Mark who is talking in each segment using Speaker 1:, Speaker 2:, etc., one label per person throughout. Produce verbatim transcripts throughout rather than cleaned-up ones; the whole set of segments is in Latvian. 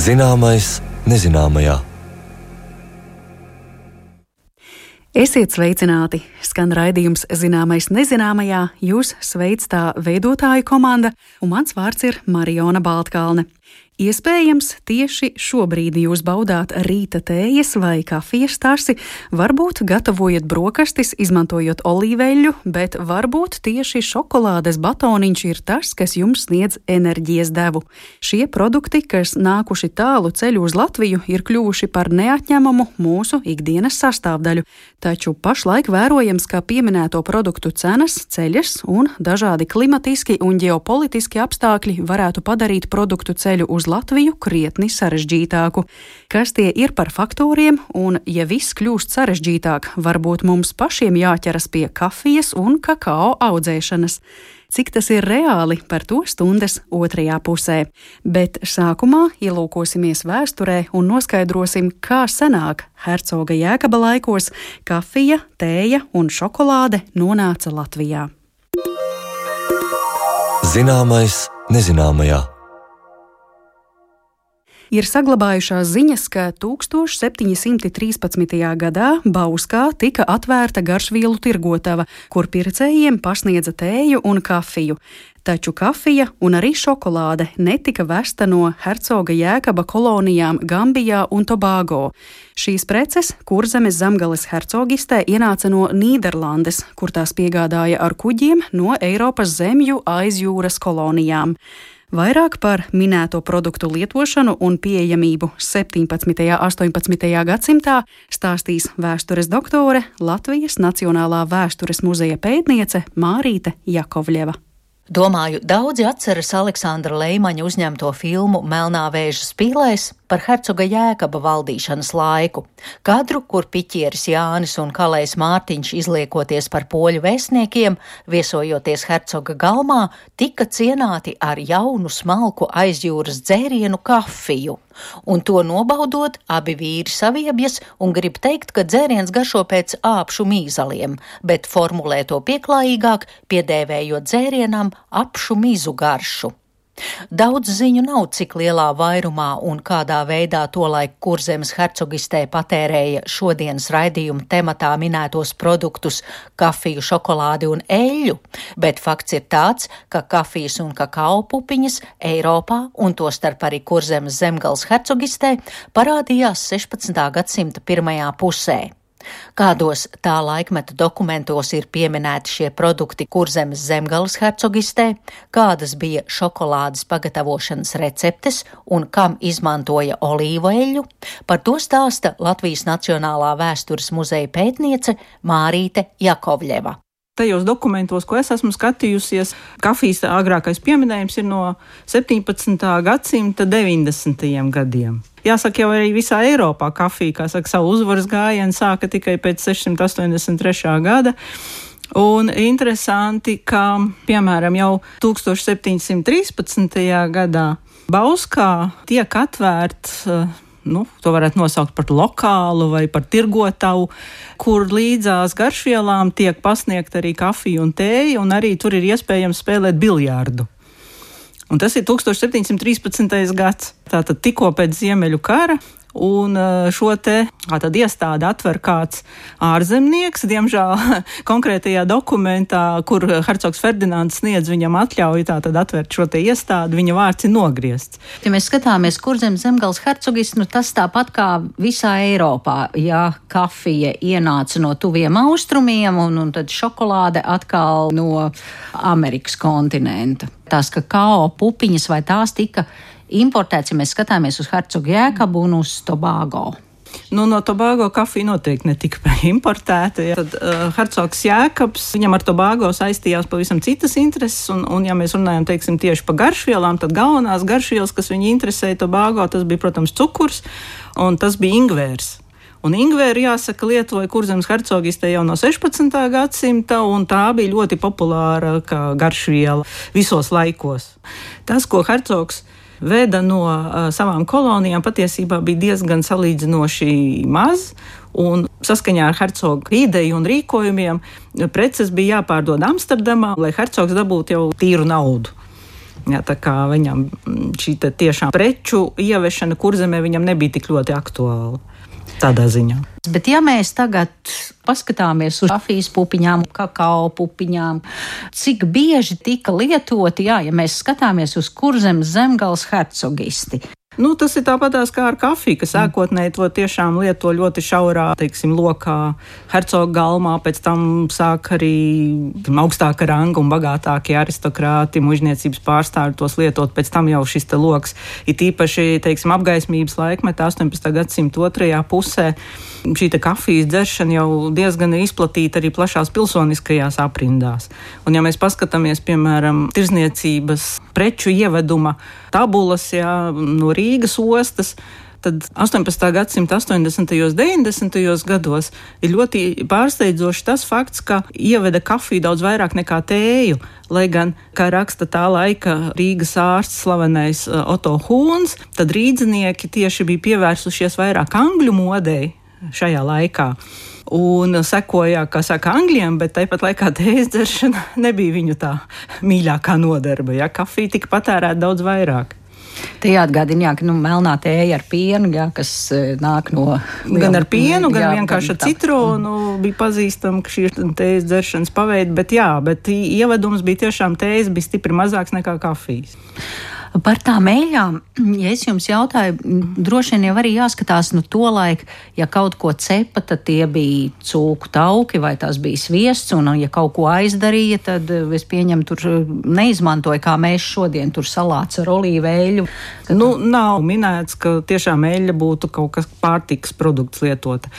Speaker 1: Zināmais nezināmajā.
Speaker 2: Esiet sveicināti! Skan raidījums Zināmais nezināmajā, jūs sveic tā veidotāju komanda, un mans vārds ir Mariona Baltkalne. Iespējams, tieši šobrīd jūs baudāt rīta tējas vai kafijas tasi, varbūt gatavojat brokastis, izmantojot olīveļu, bet varbūt tieši šokolādes batoniņš ir tas, kas jums sniedz enerģijas devu. Šie produkti, kas nākuši tālu ceļu uz Latviju, ir kļuvuši par neatņemamu mūsu ikdienas sastāvdaļu, taču pašlaik vērojams, ka pieminēto produktu cenas ceļas un dažādi klimatiski un ģeopolitiski apstākļi varētu padarīt produktu ceļu uz Latviju krietni sarežģītāku. Kas tie ir par faktoriem, un ja viss kļūst sarežģītāk, varbūt mums pašiem jāķeras pie kafijas un kakao audzēšanas. Cik tas ir reāli, par to stundas otrajā pusē. Bet sākumā ielūkosimies vēsturē un noskaidrosim, kā senāk hercoga Jēkaba laikos kafija, tēja un šokolāde nonāca Latvijā.
Speaker 1: Zināmais nezināmajā.
Speaker 2: Ir saglabājušās ziņas, ka tūkstoš septiņi simti trīspadsmitajā gadā Bauskā tika atvērta garšvielu tirgotava, kur pircējiem pasniedza tēju un kafiju. Taču kafija un arī šokolāde netika vesta no hercoga Jēkaba kolonijām Gambijā un Tobago. Šīs preces Kurzemes Zemgales hercogistē ienāca no Nīderlandes, kur tās piegādāja ar kuģiem no Eiropas zemju aizjūras kolonijām. Vairāk par minēto produktu lietošanu un pieejamību septiņpadsmitajā un astoņpadsmitajā gadsimtā stāstīs vēstures doktore, Latvijas Nacionālā vēstures muzeja pētniece Mārīte Jakovļeva.
Speaker 3: Domāju, daudzi atceras Aleksandra Leimaņa uzņemto filmu Melnā vēža spīlēs par hercoga Jēkaba valdīšanas laiku. Kadru, kur piķieris Jānis un kalējs Mārtiņš izliekoties par poļu vēstniekiem, viesojoties hercoga galmā, tika cienāti ar jaunu smalku aizjūras dzērienu kafiju. Un to nobaudot, abi vīri saviebjas un grib teikt, ka dzēriens garšo pēc āpšu mīzaliem, bet formulē to pieklājīgāk, piedēvējot dzērienam apšu mizu garšu. Daudz ziņu nav, cik lielā vairumā un kādā veidā tolaik Kurzemes hercogistē patērēja šodienas raidījuma tematā minētos produktus kafiju, šokolādi un eļļu, bet fakts ir tāds, ka kafijas un kakao pupiņas Eiropā un tostarp arī Kurzemes Zemgales hercogistē parādījās sešpadsmitā gadsimta pirmajā pusē. Kādos tā laikmeta dokumentos ir pieminēti šie produkti Kurzemes Zemgales hercogistē, kādas bija šokolādes pagatavošanas receptes un kam izmantoja olīveļu, par to stāsta Latvijas Nacionālā vēstures muzeja pētniece Mārīte Jakovļeva.
Speaker 4: Tajos dokumentos, ko es esmu skatījusies, kafijas agrākais pieminējums ir no septiņpadsmitā gadsimta deviņdesmitajiem gadiem. Jāsaka, jau arī visā Eiropā kafija, kā saka, savu uzvaras gājienu sāka tikai pēc sešsimt astoņdesmit trešā gada. Un interesanti, ka, piemēram, jau tūkstoš septiņsimt trīspadsmitajā gadā Bauskā tiek atvērts, nu, to varētu nosaukt par lokālu vai par tirgotavu, kur līdzās garšvielām tiek pasniegt arī kafija un tēja, un arī tur ir iespējams spēlēt biljārdu. Un tas ir tūkstoš septiņsimt trīspadsmitais gads, tātad tikko pēc Ziemeļu kara, un šo te tātad iestādi atver kāds ārzemnieks, diemžēl konkrētajā dokumentā, kur hercogs Ferdinands sniedz viņam atļauju tātad atvērt šo te iestādi, viņa vārds ir nogriezts.
Speaker 3: Ja mēs skatāmies Kurzemes Zemgales hercogis, nu tas tāpat kā visā Eiropā, ja kafija ienāca no tuviem austrumiem un, un tad šokolāde atkal no Amerikas kontinenta. Tās kakao pupiņas vai tās tika importēts, ja mēs skatāmies uz hercogu Jēkabu un uz Tobago.
Speaker 4: Nu, no Tobago kafija noteikti netika importēta. Ja. Tad uh, hercogs Jēkabs, viņam ar Tobago saistījās pavisam citas intereses, un, un ja mēs runājam, teiksim, tieši par garšvielām, tad galvenās garšvielas, kas viņu interesēja Tobago, tas bija, protams, cukurs, un tas bija ingvērs. Un ingvēru, jāsaka, lietoja Kurzemes hercogistē jau no sešpadsmitā gadsimta, un tā bija ļoti populāra kā garšviela visos laikos. Tas, ko hercogs veda no uh, savām kolonijām, patiesībā bija diezgan salīdzinoši maz, un saskaņā ar hercoga ideju un rīkojumiem preces bija jāpārdod Amsterdamā, lai hercogs dabūtu jau tīru naudu. Jā, tā kā viņam šī tiešām preču ievešana Kurzemē viņam nebija tik ļoti aktuāla tādā ziņā.
Speaker 3: Bet ja mēs tagad paskatāmies uz kafijas pupiņām, kakao pupiņām, cik bieži tika lietoti, jā, ja mēs skatāmies uz Kurzemes Zemgales hercogisti.
Speaker 4: Nu, tas ir tāpatās kā ar kafiju, kas sākotnēji to tiešām lieto ļoti šaurā, teiksim, lokā hercoga galmā, pēc tam sāk arī augstāka ranga un bagātākie aristokrāti, mužniecības pārstāvi tos lietot, pēc tam jau šis te loks ir tīpaši, teiksim, apgaismības laikmetā astoņpadsmitā gadsimta otrajā pusē. Šī te kafijas dzeršana jau diezgan izplatīta arī plašās pilsoniskajās aprindās. Un ja mēs paskatāmies, piemēram, tirzniecības preču ieveduma tabulas, jā, no Rīgas ostas, tad astoņpadsmitā gadsimta astoņdesmitajos, deviņdesmitajos gados ir ļoti pārsteidzoši tas fakts, ka ieveda kafiju daudz vairāk nekā tēju, lai gan, kā raksta tā laika Rīgas ārsts slavenais Otto Hūns, tad rīdzinieki tieši bija pievērsušies vairāk angļu modei šajā laikā. Un sekoja, kā saka, angļiem, bet tāpat laikā tējas dzeršana nebija viņu tā mīļākā nodarbe. Ja? Kafija tika patērēta daudz vairāk.
Speaker 3: Te jāatgādina, jā, ka nu, melnā tēja ar pienu, jā, kas nāk no...
Speaker 4: Gan ar pienu, gan
Speaker 3: jā,
Speaker 4: vienkārši ar
Speaker 3: tā.
Speaker 4: citronu bija pazīstama, ka šī ir tējas dzeršanas paveidi, bet jā, bet ievedums bija tiešām tējas, bija stipri mazāks nekā kafijas.
Speaker 3: Par tām eļļām, ja es jums jautāju, droši vien jau arī jāskatās, nu to laiku, ja kaut ko cepa, tad tie bija cūku tauki vai tās bija sviests, un ja kaut ko aizdarīja, tad es pieņemu tur neizmantoja, kā mēs šodien tur salāts ar olīveļu.
Speaker 4: Nu, nav minēts, ka tiešām eļļa būtu kaut kas pārtikas produkts lietota.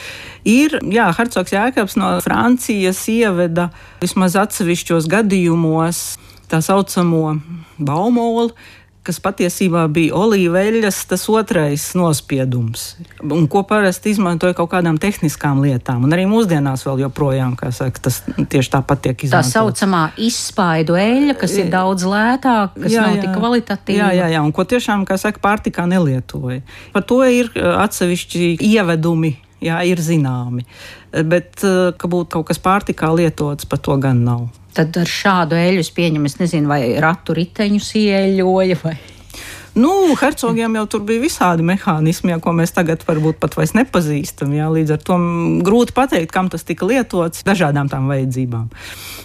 Speaker 4: Ir, jā, hercogs Jēkabs no Francijas ieveda vismaz atsevišķos gadījumos tā saucamo baumolu, kas patiesībā bija olīveļas tas otrais nospiedums, un ko parasti izmantoja kaut kādām tehniskām lietām, un arī mūsdienās vēl joprojām, kā saka, tas tieši tāpat tiek izmantots.
Speaker 3: Tā saucamā izspaidu eļļa, kas ir daudz lētāk, kas jā, nav jā. tik kvalitatīva.
Speaker 4: Jā, jā, jā, un ko tiešām, kā saka, pārtikā nelietoja. Par to ir atsevišķi ievedumi, jā, ir zināmi, bet ka būtu kaut kas pārtikā lietots, par to gan nav.
Speaker 3: Tad ar šādu eļļu es pieņemu, es nezinu, vai ratu riteņus ieļoja vai...
Speaker 4: Nu, hercogiem jau tur bija visādi mehānismi, jā, ko mēs tagad varbūt pat vairs nepazīstam, jā, līdz ar to grūti pateikt, kam tas tika lietots, dažādām tām vajadzībām.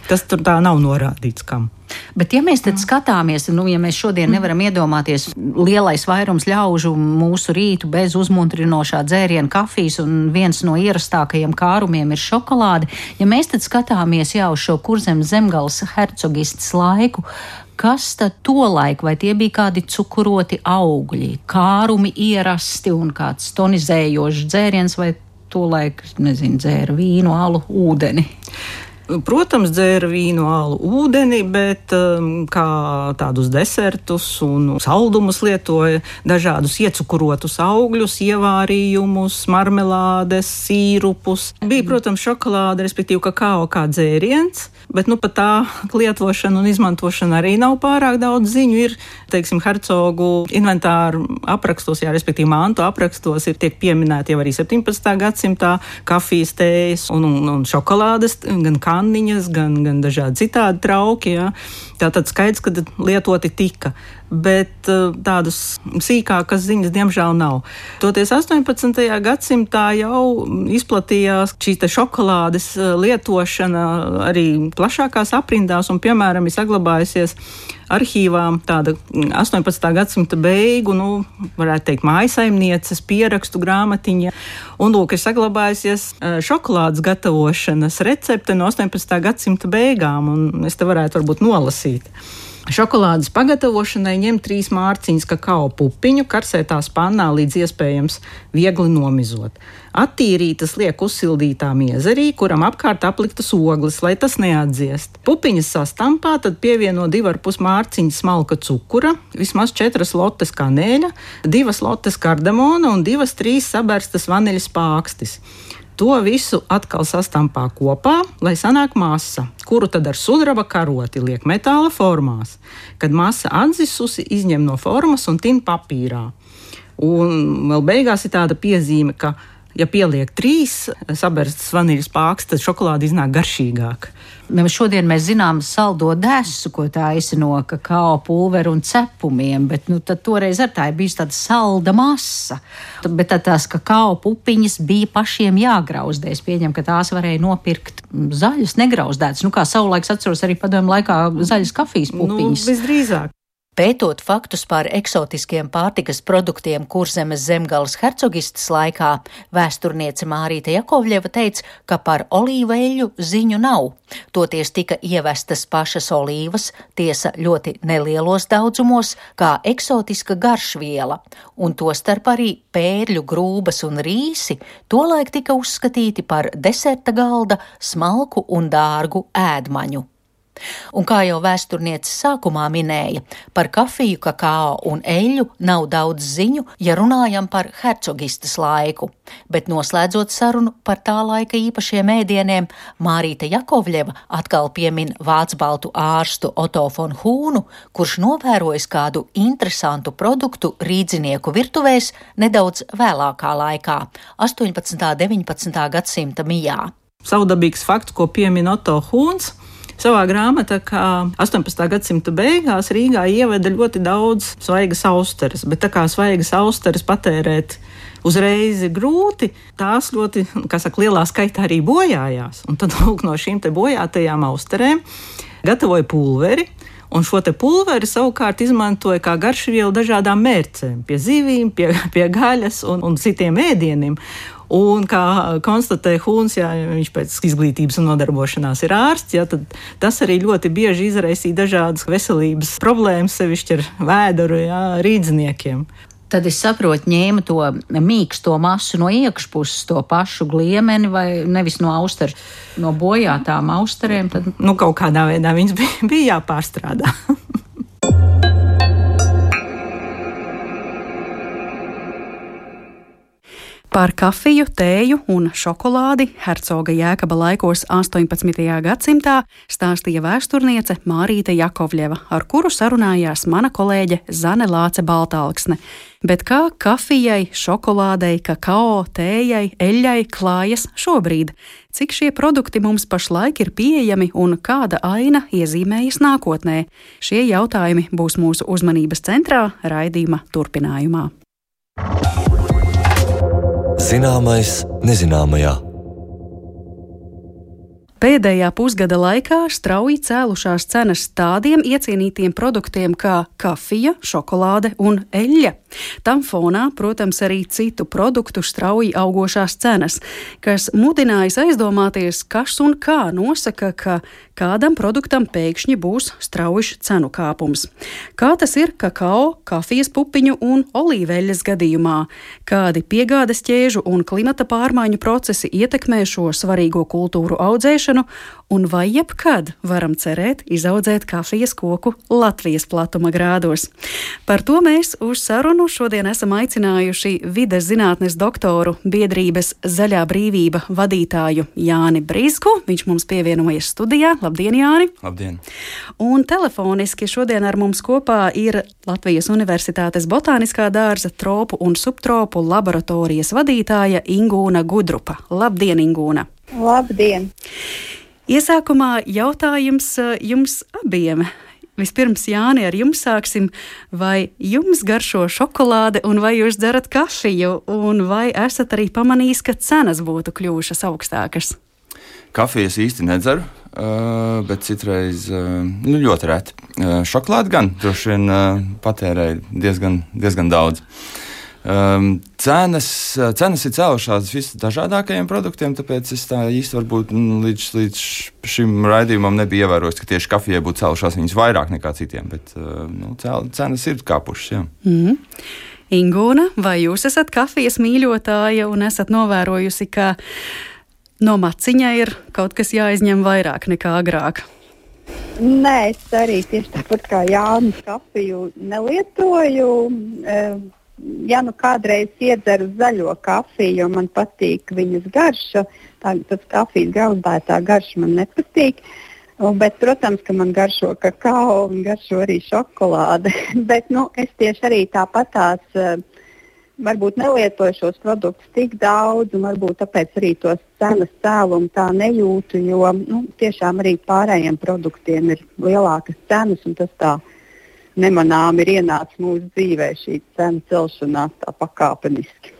Speaker 4: Tas tur tā nav norādīts, kam.
Speaker 3: Bet ja mēs tad skatāmies, nu, ja mēs šodien nevaram iedomāties lielais vairums ļaužu mūsu rītu bez uzmundrinošā dzēriena kafijas un viens no ierastākajiem kārumiem ir šokolāde, ja mēs tad skatāmies jau uz šo Kurzemes Zemgales hercogistes laiku, kas tad tolaik, vai tie bija kādi cukuroti augļi, kārumi ierasti un kāds tonizējošs dzēriens, vai tolaik, nezinu, dzēra vīnu, alu, ūdeni?
Speaker 4: Protams, dzēra vīnu, alu, ūdeni, bet um, kā tādus desertus un saldumus lietoja dažādus iecukurotus augļus, ievārījumus, marmelādes, sīrupus. Bija, protams, šokolāde, respektīvi kakao kā dzēriens, bet nu pat tā lietošana un izmantošana arī nav pārāk daudz ziņu. Ir, teiksim, hercogu inventāru aprakstos, jā, respektīvi mantu aprakstos, ir tiek pieminēti jau arī septiņpadsmitā gadsimtā kafijas, tējas un, un, un šokolādes, gan kanniņas, gan, gan dažādi citādi trauki, jā. Tātad skaidrs, ka lietoti tika, bet tādas sīkākas ziņas diemžēl nav. Toties astoņpadsmitajā gadsimtā jau izplatījās šī te šokolādes lietošana arī plašākās aprindās, un piemēram ir saglabājusies arhīvā tāda astoņpadsmitā gadsimta beigu, nu, varētu teikt, mājasaimnieces pierakstu grāmatiņa, un lūk, ir saglabājusies šokolādes gatavošanas recepte no astoņpadsmitā gadsimta beigām, un es te varētu varbūt nolasīt. Šokolādes pagatavošanai ņem trīs mārciņas kakao pupiņu, karsētā pannā līdz iespējams viegli nomizot. Attīrītas liek uzsildītā miezerī, kuram apkārt apliktas ogles, lai tas neatdziest. Pupiņas sastampā, tad pievieno divu ar pus mārciņas smalka cukura, vismaz četras lotes kanēļa, divas lotes kardamona un divas trīs saberstas vaniļas pākstis. To visu atkal sastampā kopā, lai sanāk masa, kuru tad ar sudraba karoti liek metāla formās. Kad masa atzisusi, izņem no formas un tin papīrā. Un vēl beigās ir tāda piezīme, ka Ja pieliek trīs saberstas vaniļas pāks, tad šokolāde iznāk garšīgāk.
Speaker 3: Šodien mēs zinām saldo desu, ko taisa no kakao pulveru un cepumiem, bet nu, tad toreiz ar tā ir bijusi tāda salda masa. Bet tad tās kakao pupiņas bija pašiem jāgrauzdē. Es pieņemu, ka tās varēja nopirkt zaļas, negrauzdētas. Nu, kā savulaiks atceros arī padomju laikā zaļas kafijas pupiņas.
Speaker 4: Nu, visdrīzāk.
Speaker 3: Pētot faktus par eksotiskiem pārtikas produktiem Kurzemes zemgales hercogistes laikā, vēsturniece Mārīte Jakovļeva teica, ka par olīveļu ziņu nav. Toties tika ievestas pašas olīvas, tiesa ļoti nelielos daudzumos, kā eksotiska garšviela, un tostarp arī pērļu grūbas un rīsi tolaik tika uzskatīti par deserta galda, smalku un dārgu ēdmaņu. Un kā jau vēsturniece sākumā minēja, par kafiju, kakao un eļļu nav daudz ziņu, ja runājam par hercogistes laiku. Bet noslēdzot sarunu par tā laika īpašiem ēdieniem, Mārīte Jakovļeva atkal piemin vācbaltu ārstu Otto von Hūnu, kurš novērojis kādu interesantu produktu rīdzinieku virtuvēs nedaudz vēlākā laikā, astoņpadsmitā un deviņpadsmitā gadsimta mijā.
Speaker 4: Savdabīgs fakts, ko piemin Otto Hūns. Savā grāmatā, kā astoņpadsmitā gadsimta beigās Rīgā ieveda ļoti daudz svaigas austeres, bet tā kā svaigas austeres patērēt uzreiz ir grūti, tās ļoti, kā saka, lielā skaitā arī bojājās. Un tad lūk, no šīm te bojātajām austerēm gatavoja pulveri, un šo te pulveri savukārt izmantoja kā garšvielu dažādām mērcēm, pie zivīm, pie, pie gaļas un, un citiem ēdieniem. Un kā konstatēja Hūns, jā, viņš pēc izglītības un nodarbošanās ir ārsts, jā, tad tas arī ļoti bieži izraisīja dažādas veselības problēmas, sevišķi ar vēderu, jā, rīdziniekiem.
Speaker 3: Tad es saprotu, ņēma to mīksto masu no iekšpuses, to pašu gliemeni vai nevis no austeru, no bojātām austerēm. Tad...
Speaker 4: Nu, kaut kādā veidā viņas bija, bija jāpārstrādā.
Speaker 2: Par kafiju, tēju un šokolādi hercoga Jēkaba laikos astoņpadsmitajā gadsimtā stāstīja vēsturniece Mārīte Jakovļeva, ar kuru sarunājās mana kolēģe Zane Lāce Baltalksne. Bet kā kafijai, šokolādei, kakao, tējai, eļļai klājas šobrīd? Cik šie produkti mums pašlaik ir pieejami un kāda aina iezīmējas nākotnē? Šie jautājumi būs mūsu uzmanības centrā raidījuma turpinājumā.
Speaker 1: Zināmais nezināmajā.
Speaker 2: Pēdējā pusgada laikā strauji cēlušās cenas tādiem iecienītiem produktiem kā kafija, šokolāde un eļļa. Tam fonā, protams, arī citu produktu strauji augošās cenas, kas mudinājas aizdomāties, kas un kā nosaka, ka kādam produktam pēkšņi būs strauji cenu kāpums. Kā tas ir kakao, kafijas pupiņu un olīveļas gadījumā? Kādi piegādes ķēžu un klimata pārmaiņu procesi ietekmē šo svarīgo kultūru audzēšanu? Un vai jebkad varam cerēt izaudzēt kafijas koku Latvijas platuma grādos? Par to mēs uz sarunu šodien esam aicinājuši vides zinātnes doktoru biedrības Zaļā brīvība vadītāju Jāni Brizgu. Viņš mums pievienojas studijā. Labdien, Jāni!
Speaker 5: Labdien!
Speaker 2: Un telefoniski šodien ar mums kopā ir Latvijas Universitātes botāniskā dārza tropu un subtropu laboratorijas vadītāja Ingūna Gudrupa. Labdien, Ingūna!
Speaker 6: Labdien!
Speaker 2: Iesākumā jautājums jums abiem. Vispirms, Jāni, ar jums sāksim. Vai jums garšo šokolāde un vai jūs dzerat kafiju? Un vai esat arī pamanījis, ka cenas būtu kļuvušas augstākas?
Speaker 5: Kafijas īsti nedzeru, bet citreiz nu, ļoti reti. Šokolādi gan droši vien patērēju diezgan, diezgan daudz. Um, cenas, cenas ir cēlušās visdažādākajiem produktiem, tāpēc es tā īsti varbūt līdz, līdz šim raidījumam nebija ievērojis, ka tieši kafijai būtu cēlušās viņas vairāk nekā citiem, bet uh, nu, cenas ir kāpušas, jā.
Speaker 2: Mm. Ingūna, vai jūs esat kafijas mīļotāja un esat novērojusi, ka no maciņa ir kaut kas jāizņem vairāk nekā agrāk?
Speaker 6: Nē, es arī tieši tāpat kā Jānis kafiju nelietoju. Um, Ja nu kādreiz iedzeru zaļo kafiju, jo man patīk viņas garša, tā, tas kafijas grauzdētā garša man nepatīk, bet, protams, ka man garšo kakao un garšo arī šokolāde, bet, nu, es tieši arī tāpatās uh, varbūt nelietoju šos produktus tik daudz, un varbūt tāpēc arī tos cenas cēlumu tā nejūtu, jo nu, tiešām arī pārējiem produktiem ir lielākas cenas, un tas tā nemanām ir ienācis mūsu dzīvē šī cenu celšanās tā pakāpeniski.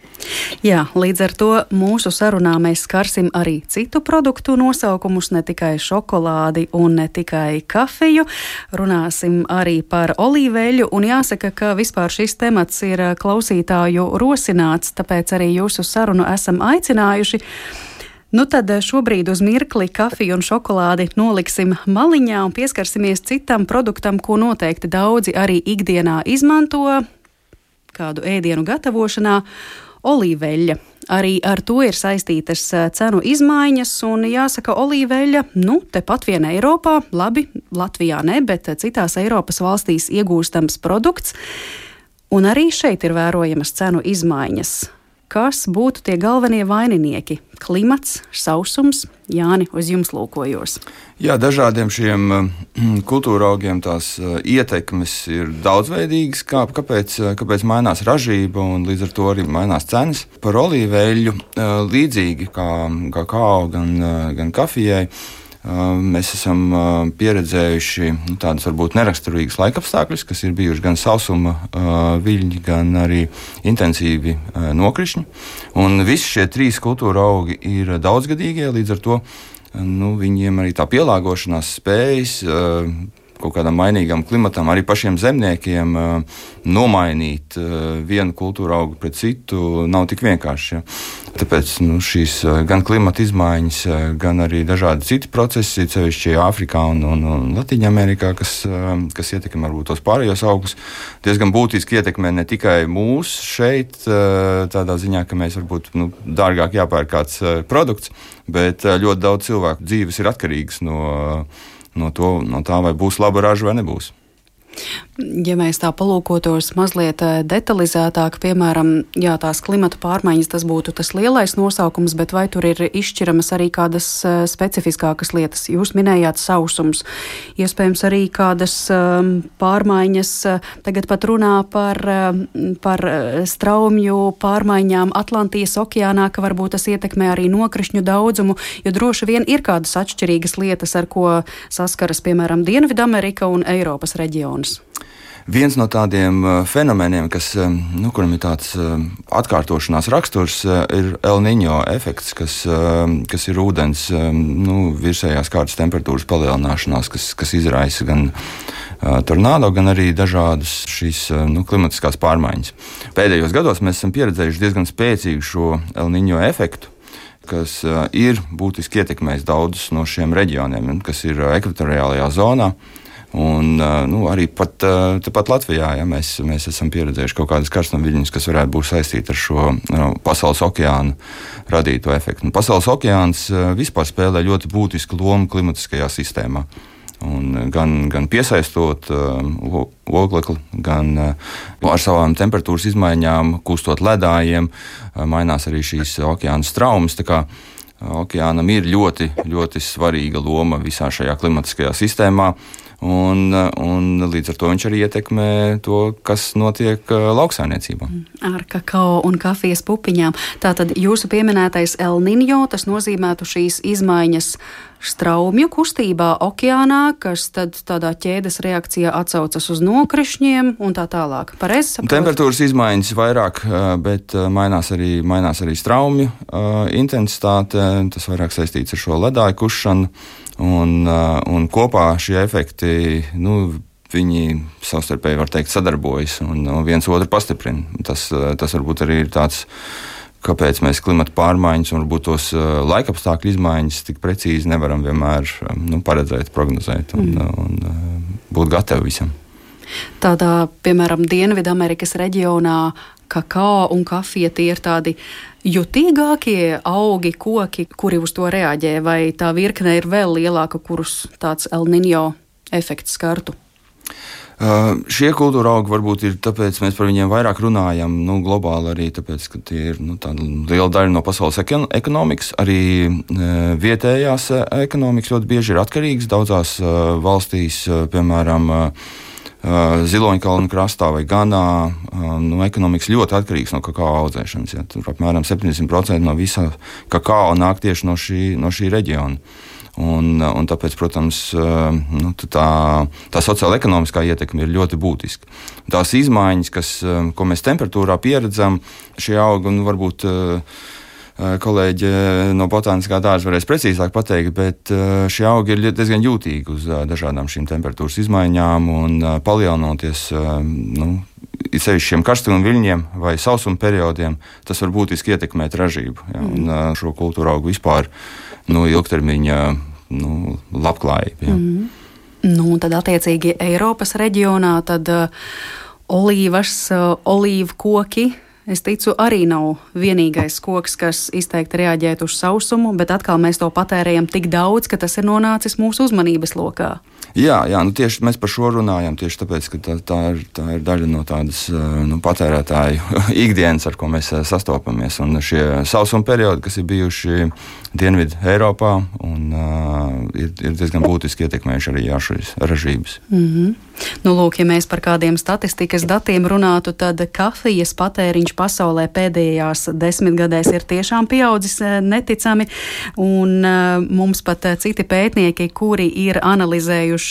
Speaker 2: Jā, līdz ar to mūsu sarunā mēs skarsim arī citu produktu nosaukumus, ne tikai šokolādi un ne tikai kafiju. Runāsim arī par olīveļu, un jāsaka, ka vispār šis temats ir klausītāju rosināts, tāpēc arī jūsu sarunu esam aicinājuši. Nu tad šobrīd uz mirkli kafiju un šokolādi noliksim maliņā un pieskarsimies citam produktam, ko noteikti daudzi arī ikdienā izmanto kādu ēdienu gatavošanā. Olīveļa. Arī ar to ir saistītas cenu izmaiņas, un jāsaka, olīveļa, nu, tepat vien Eiropā, labi, Latvijā ne, bet citās Eiropas valstīs iegūstams produkts, un arī šeit ir vērojamas cenu izmaiņas. Kas būtu tie galvenie vaininieki? Klimats, sausums? Jāni, uz jums lūkojos.
Speaker 5: Jā, dažādiem šiem kultūra augiem tās ietekmes ir daudzveidīgas, kā, kāpēc, kāpēc mainās ražība un līdz ar to arī mainās cenas. Par olīveļu līdzīgi kā kakao gan, gan kafijai, mēs esam pieredzējuši nu, tādas varbūt neraksturīgas laikapstākļus, kas ir bijuši gan sausuma viļņi, gan arī intensīvi nokrišņi. Un visi šie trīs kultūra augi ir daudzgadīgie, līdz ar to nu, viņiem arī tā pielāgošanās spējas kaut kādam mainīgam klimatam, arī pašiem zemniekiem nomainīt vienu kultūra augu pret citu nav tik vienkārši. Ja. Tāpēc nu, šīs gan klimata izmaiņas, gan arī dažādi citi procesi, sevišķi Āfrikā un, un, un Latvijā-Amerikā, kas, kas ietekmē varbūt tos pārējos augus, diezgan būtiski ietekmē ne tikai mūs šeit, tādā ziņā, ka mēs varbūt nu, dārgāk jāpērk kāds produkts, bet ļoti daudz cilvēku dzīves ir atkarīgas no No, to, no tā, vai būs laba raža vai nebūs.
Speaker 2: Ja mēs tā palūkotos mazliet detalizētāk, piemēram, jā, tās klimata pārmaiņas, tas būtu tas lielais nosaukums, bet vai tur ir izšķiramas arī kādas specifiskākas lietas? Jūs minējāt sausums, iespējams arī kādas um, pārmaiņas, tagad pat runā par, par straumju pārmaiņām Atlantijas okeānā, ka varbūt tas ietekmē arī nokrišņu daudzumu, jo droši vien ir kādas atšķirīgas lietas, ar ko saskaras, piemēram, Dienvidamerika un Eiropas reģions.
Speaker 5: Viens no tādiem fenomeniem, kas, nu, kuram ir tāds atkārtošanās raksturs, ir El Niño efekts, kas, kas ir ūdens nu, virsējās kārtas temperatūras palielināšanās, kas, kas izraisa gan tornādo, gan arī dažādas šīs nu, klimatiskās pārmaiņas. Pēdējos gados mēs esam pieredzējuši diezgan spēcīgu šo El Niño efektu, kas ir būtiski ietekmējis daudzus no šiem reģioniem, kas ir ekvatoriālajā zonā. Un nu, arī pat, pat Latvijā ja, mēs, mēs esam pieredzējuši kaut kādas karstumviļņas, kas varētu būt saistīti ar šo nu, pasaules okeānu radīto efektu. Un pasaules okeāns vispār spēlē ļoti būtisku lomu klimatiskajā sistēmā. Un gan, gan piesaistot uh, oglekli, gan uh, ar savām temperatūras izmaiņām, kustot ledājiem, uh, mainās arī šīs okeāna straumes. Tā kā okeānam ir ļoti, ļoti svarīga loma visā šajā klimatiskajā sistēmā. Un, un līdz ar to viņš arī ietekmē to, kas notiek lauksaimniecībā.
Speaker 2: Ar kakao un kafijas pupiņām. Tātad jūsu pieminētais El Niño, tas nozīmētu šīs izmaiņas straumju kustībā okeānā, kas tad tādā ķēdes reakcijā atsaucas uz nokrišņiem un tā tālāk. Pareizi saprotu?
Speaker 5: Temperatūras izmaiņas vairāk, bet mainās arī, mainās arī straumju intensitāte. Tas vairāk saistīts ar šo ledāju kušanu. Un, un kopā šie efekti, nu, viņi savstarpēji, var teikt, sadarbojas un viens otru pastiprina. Tas, tas varbūt arī ir tāds, kāpēc mēs klimata pārmaiņas un varbūt tos laikapstākļu izmaiņas tik precīzi nevaram vienmēr nu, paredzēt, prognozēt un, mm. un būt gatavi visam.
Speaker 2: Tādā, piemēram, Dienvidamerikas reģionā kakao un kafija tie ir tādi jutīgākie augi, koki, kuri uz to reaģē, vai tā virkne ir vēl lielāka, kurus tāds El Niño efekts skartu?
Speaker 5: Uh, šie kultūra augi varbūt ir tāpēc, mēs par viņiem vairāk runājam, nu, globāli arī tāpēc, ka tie ir nu, tāda liela daļa no pasaules ekonomikas, arī uh, vietējās ekonomikas ļoti bieži ir atkarīgas daudzās uh, valstīs, uh, piemēram, uh, Ziloņkalnu krastā vai Ganā, nu, ekonomikas ļoti atkarīgs no kakao audzēšanas. Ja. Tur apmēram septiņdesmit procenti no visa kakao nāk tieši no šī, no šī reģiona. Un, un tāpēc, protams, nu, tā, tā sociāla-ekonomiskā ietekme ir ļoti būtiska. Tās izmaiņas, kas, ko mēs temperatūrā pieredzam, šie augi, nu, varbūt kolēģi no botāniskā dārza varēs precīzāk pateikt, bet šie augi ir diezgan jūtīgi uz dažādām šīm temperatūras izmaiņām un palielinoties, nu, sevišķi šiem karstajiem viļņiem vai sausuma periodiem, tas var būtiski ietekmēt ražību. Ja, un šo kultūru augu vispār, nu, ilgtermiņa, nu, labklājību. Ja.
Speaker 2: Mm. Nu, tad attiecīgi Eiropas reģionā tad uh, olīvas, uh, olīvu koki, es ticu, arī nav vienīgais koks, kas izteikti reaģēt uz sausumu, bet atkal mēs to patērējam tik daudz, ka tas ir nonācis mūsu uzmanības lokā.
Speaker 5: Jā, jā, nu tieši mēs par šo runājam, tieši tāpēc, ka tā, tā, ir, tā ir daļa no tādas, nu, patērētāju ikdienas, ar ko mēs sastopamies. Un šie sausuma periodi, kas ir bijuši Dienvidu Eiropā, un, uh, ir, ir diezgan būtiski ietekmējuši arī jā, šīs ražības.
Speaker 2: Mm-hmm. Nu, lūk, ja mēs par kādiem statistikas datiem runātu, tad kafijas patēriņš pasaulē pēdējās desmitgadēs ir tiešām pieaudzis neticami, un uh, mums pat citi pētnieki, kuri ir analizējuši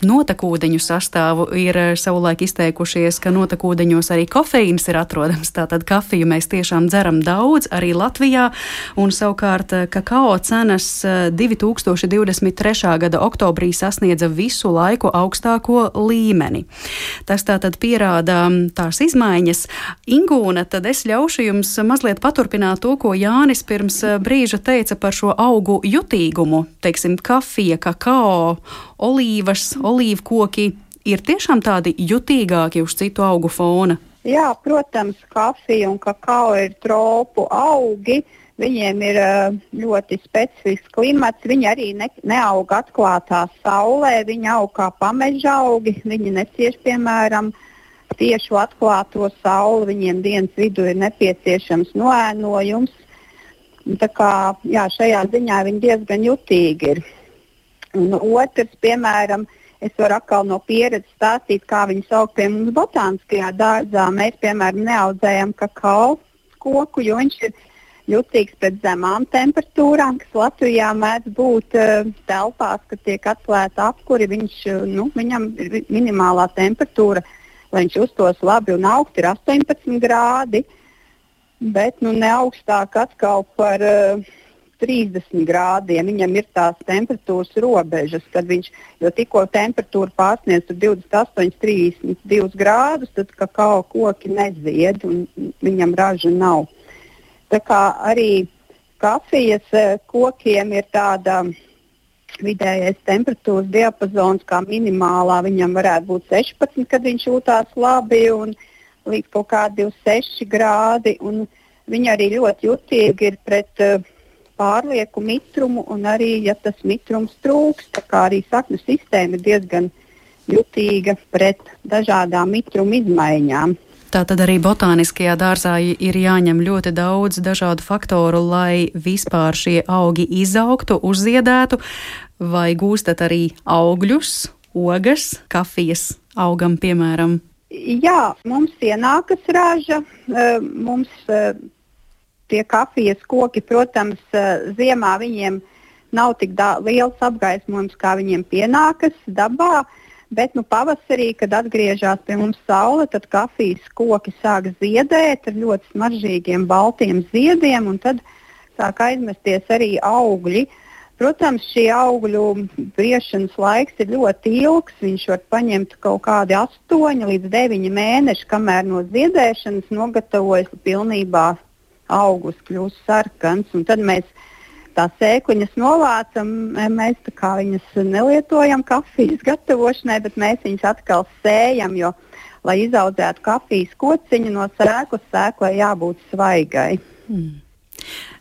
Speaker 2: notekūdeņu sastāvu, ir savulaik izteikušies, ka notekūdeņos arī kofeīns ir atrodams. Tātad kafiju mēs tiešām dzeram daudz, arī Latvijā, un savukārt kakao cenas divi tūkstoši divdesmit trešā gada oktobrī sasniedza visu laiku augstāko līmeni. Tas tātad pierāda tās izmaiņas. Ingūna, tad es ļaušu jums mazliet paturpināt to, ko Jānis pirms brīža teica par šo augu jutīgumu. Teiksim, kafija, kakao, olīvas, olīvkoki ir tiešām tādi jutīgāki uz citu augu fona?
Speaker 6: Jā, protams, kafija un kakao ir tropu augi. Viņiem ir ļoti specifisks klimats, viņi arī ne, neaug atklātā saulē, viņi aug kā pameža augi, viņi necieš, piemēram, tiešu atklāto sauli, viņiem dienas vidū ir nepieciešams noēnojums. Tā kā, jā, šajā ziņā viņi diezgan jutīgi ir. Un otrs, piemēram, es varu atkal no pieredzes stāstīt, kā viņi sauk pie mums botāniskajā dārzā. Mēs, piemēram, neaudzējam kakao koku, jo viņš ir jutīgs pret zemām temperatūrām, kas Latvijā mēdz būt uh, telpās, kad tiek atklāta apkuri. Viņš, nu, viņam ir minimālā temperatūra, lai viņš uztos labi un augst, ir astoņpadsmit grādi, bet nu, ne augstāk atkal par uh, trīsdesmit grādiem. Viņam ir tās temperatūras robežas, kad viņš, jo tikko temperatūra pārsniedz divdesmit astoņi, trīsdesmit divi grādus, tad kakao koki nezied un viņam raža nav. Tā kā arī kafijas kokiem ir tāda vidējais temperatūras diapazons, kā minimālā viņam varētu būt sešpadsmit, kad viņš jūtās labi, un līdz kaut kādi divdesmit seši grādi. Un viņi arī ļoti jutīgi ir pret uh, pārlieku mitrumu, un arī, ja tas mitrums trūks, tā kā arī saknu sistēma ir diezgan jutīga pret dažādām mitruma izmaiņām.
Speaker 2: Tātad arī botāniskajā dārzā ir jāņem ļoti daudz dažādu faktoru, lai vispār šie augi izaugtu, uzziedētu, vai gūstat arī augļus, ogas, kafijas augam, piemēram?
Speaker 6: Jā, mums ienākas raža, mums tie kafijas koki, protams, ziemā viņiem nav tik da- liels apgaismojums, kā viņiem pienākas dabā. Bet nu, pavasarī, kad atgriežas pie mums saule, tad kafijas koki sāk ziedēt ar ļoti smaržīgiem baltiem ziediem, un tad sāk aizmesties arī augļi. Protams, šī augļu briešanas laiks ir ļoti ilgs. Viņš var paņemt kaut kādi astoņi līdz deviņi mēneši, kamēr no ziedēšanas nogatavojas pilnībā augus, kļūst sarkans, un tad mēs tās sēkliņas novācam, mēs tā kā viņas nelietojam kafijas gatavošanai, bet mēs viņas atkal sējam, jo, lai izaudzētu kafijas kociņu no sēklas, sēklai jābūt svaigai.
Speaker 2: Hmm.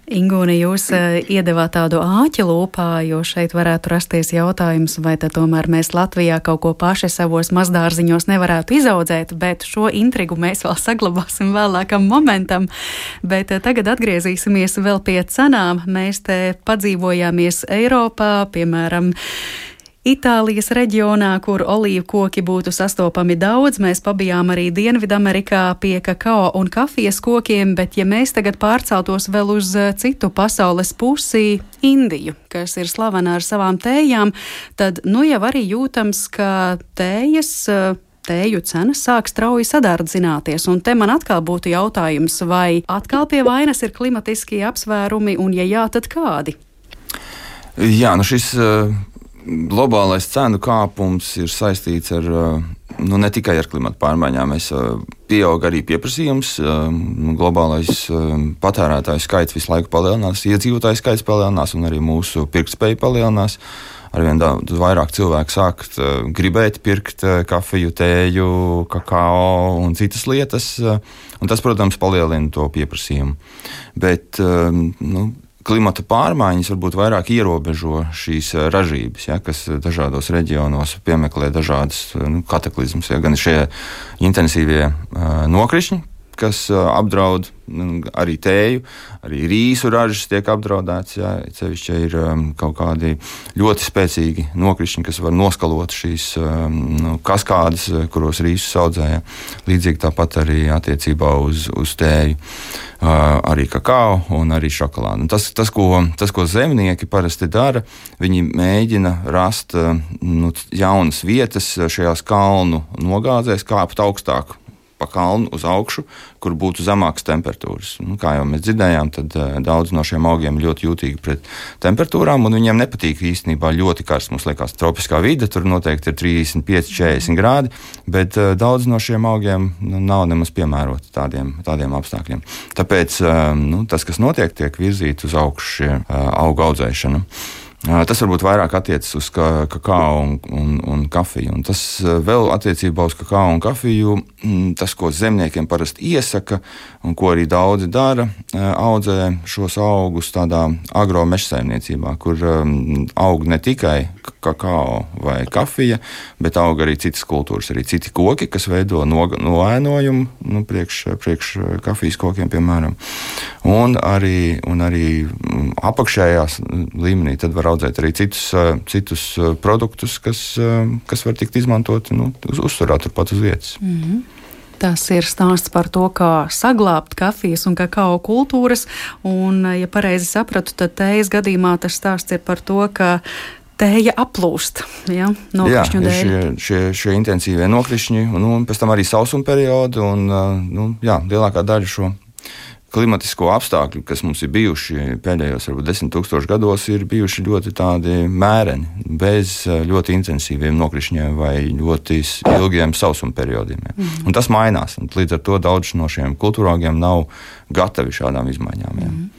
Speaker 2: Ingūna, jūs uh, iedevāt tādu āķi lūpā, jo šeit varētu rasties jautājums, vai tad tomēr mēs Latvijā kaut ko paši savos mazdārziņos nevarētu izaudzēt, bet šo intrigu mēs vēl saglabāsim vēlākam momentam. Bet uh, tagad atgriezīsimies vēl pie cenām. Mēs te padzīvojāmies Eiropā, piemēram, Itālijas reģionā, kur olīvu koki būtu sastopami daudz, mēs pabijām arī Dienvidamerikā pie kakao un kafijas kokiem, bet ja mēs tagad pārceltos vēl uz citu pasaules pusi, Indiju, kas ir slavena ar savām tējām, tad nu jau arī jūtams, ka tējas, tēju cenas sāk strauji sadardzināties. Un te man atkal būtu jautājums, vai atkal pie vainas ir klimatiskie apsvērumi, un ja jā, tad kādi?
Speaker 5: Jā, nu šis uh... globālais cenu kāpums ir saistīts ar, nu, ne tikai ar klimatu pārmaiņām. Mēs pieaug arī pieprasījums, globālais patērētāju skaits visu laiku palielinās, iedzīvotāju skaits palielinās un arī mūsu pirktspēja palielinās. Arvien daudz vairāk cilvēku sākt gribēt pirkt kafiju, tēju, kakao un citas lietas, un tas, protams, palielina to pieprasījumu. Bet, nu, klimata pārmaiņas varbūt vairāk ierobežo šīs ražības, ja, kas dažādos reģionos piemeklē dažādas nu, kataklizmas. Ja, gan šie intensīvie uh, nokrišņi, kas uh, apdraud nu, arī tēju, arī rīsu ražas tiek apdraudēts. Ja, cevišķi ir um, kaut kādi ļoti spēcīgi nokrišņi, kas var noskalot šīs um, nu, kaskādes, kuros rīsus audzē. Ja. Līdzīgi tāpat arī attiecībā uz, uz tēju. Uh, arī kakao un arī šokolādi. Un tas, tas, ko, tas, ko zemnieki parasti dara, viņi mēģina rast uh, nu, jaunas vietas šajās kalnu nogāzēs, kāpt augstāk pa kalnu uz augšu, kur būtu zemākas temperatūras. Nu, kā jau mēs dzirdējām, tad uh, daudz no šiem augiem ļoti jūtīgi pret temperatūrām, un viņiem nepatīk īstenībā ļoti karsts. Mums liekas, tropiskā vide, tur noteikti ir trīsdesmit pieci četrdesmit grādi, bet uh, daudz no šiem augiem nu, nav nemaz piemēroti tādiem, tādiem apstākļiem. Tāpēc uh, nu, tas, kas notiek, tiek virzīts uz augšu šie uh, augu audzēšana. Tas varbūt vairāk attiecas uz kakao un, un, un kafiju. Un tas vēl attiecībā uz kakao un kafiju, tas, ko zemniekiem parasti iesaka, un ko arī daudzi dara, audzē šos augus tādā agromežsaimniecībā, kur aug ne tikai kakao vai kafija, bet aug arī citas kultūras, arī citi koki, kas veido noēnojumu nu, priekš, priekš kafijas kokiem, piemēram. Un arī, un arī apakšējās līmenī tad var audzēt arī citus, citus produktus, kas, kas var tikt izmantoti nu, uz uzturā turpat uz vietas.
Speaker 2: Mm-hmm. Tas ir stāsts par to, kā saglābt kafijas un kakao kultūras, un, ja pareizi sapratu, tad tējas gadījumā tas stāsts ir par to, ka tēja aplūst, ja, nokrišņu dēļ. Jā,
Speaker 5: šie, šie, šie intensīvie nokrišņi, un, un pēc tam arī sausuma periodi, un, nu, jā, lielākā daļa šo klimatisko apstākļu, kas mums ir bijuši pēdējos varbūt desmit tūkstoši gados, ir bijuši ļoti tādi mēreni, bez ļoti intensīviem nokrišņiem vai ļoti ilgiem sausuma periodiem. Ja. Mm. Un tas mainās, un līdz ar to daudz no šiem kultūraugiem nav gatavi šādām izmaiņām. Ja. Mm.